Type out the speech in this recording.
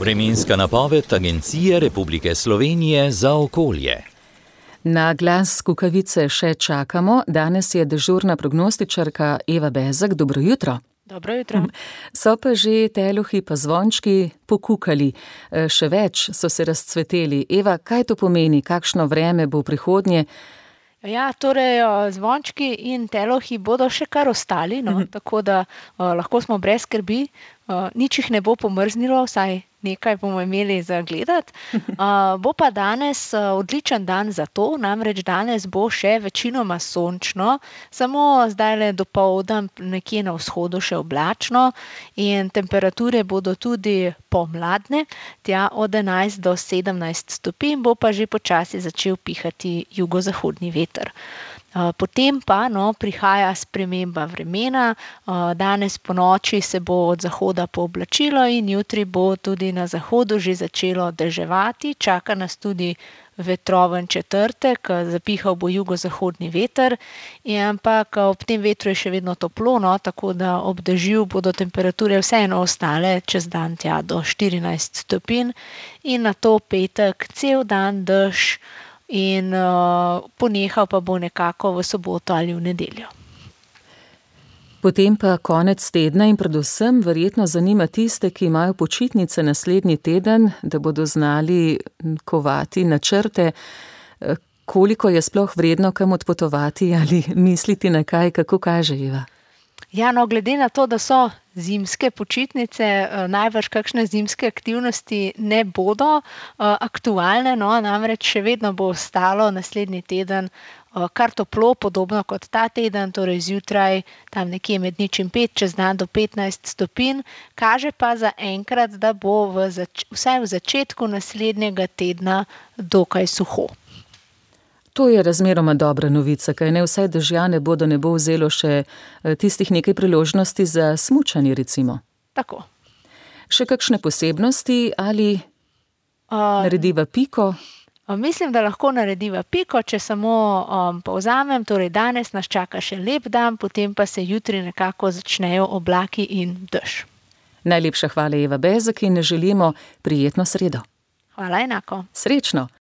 Vremenska napoved Agencije Republike Slovenije za okolje. Na glas kukavice še čakamo. Danes je dežurna prognostičarka Eva Bezak. Dobro jutro. Dobro jutro. So pa že teluhi pa zvončki pokukali. Še več so se razcveteli. Eva, kaj to pomeni? Kakšno vreme bo v prihodnje? Ja, torej zvončki in telohi bodo še kar ostali, tako da lahko smo brez skrbi. Nič jih ne bo pomrznilo, vsaj nekaj bomo imeli za gledati. Bo pa danes odličen dan za to, namreč danes bo še večinoma sončno, samo zdajle dopoldan nekje na vzhodu še oblačno in temperature bodo tudi pomladne, tja od 11 do 17 stopinj, bo pa že počasi začel pihati jugozahodni veter. Potem pa prihaja sprememba vremena, danes ponoči se bo od zahoda pooblačilo in jutri bo tudi na zahodu že začelo deževati, čaka nas tudi vetroven četrtek, zapihal bo jugozahodni veter, ampak ob tem vetru je še vedno toplo, tako da ob dežju bodo temperature vseeno ostale čez dan tja do 14 stopinj in nato petek cel dan dež in ponehal pa bo nekako v soboto ali v nedeljo. Potem pa konec tedna in predvsem verjetno zanima tiste, ki imajo počitnice naslednji teden, da bodo znali kovati načrte, koliko je sploh vredno kam odpotovati ali misliti na kaj, kako kaže Eva? Ja, glede na to, da so zimske počitnice, najbrž kakšne zimske aktivnosti ne bodo aktualne, namreč še vedno bo ostalo naslednji teden kar toplo, podobno kot ta teden, torej zjutraj tam nekje med 0 in 5, čez dan do 15 stopinj, kaže pa za enkrat, da bo vsaj v začetku naslednjega tedna dokaj suho. To je razmeroma dobra novica, kaj ne vsaj dežja ne bo vzelo še tistih nekaj priložnosti za smučanje recimo. Tako. Še kakšne posebnosti ali narediva piko? Mislim, da lahko narediva piko, če samo povzamem, torej danes nas čaka še lep dan, potem pa se jutri nekako začnejo oblaki in dež. Najlepša hvala Eva Bezak in želimo prijetno sredo. Hvala enako. Srečno.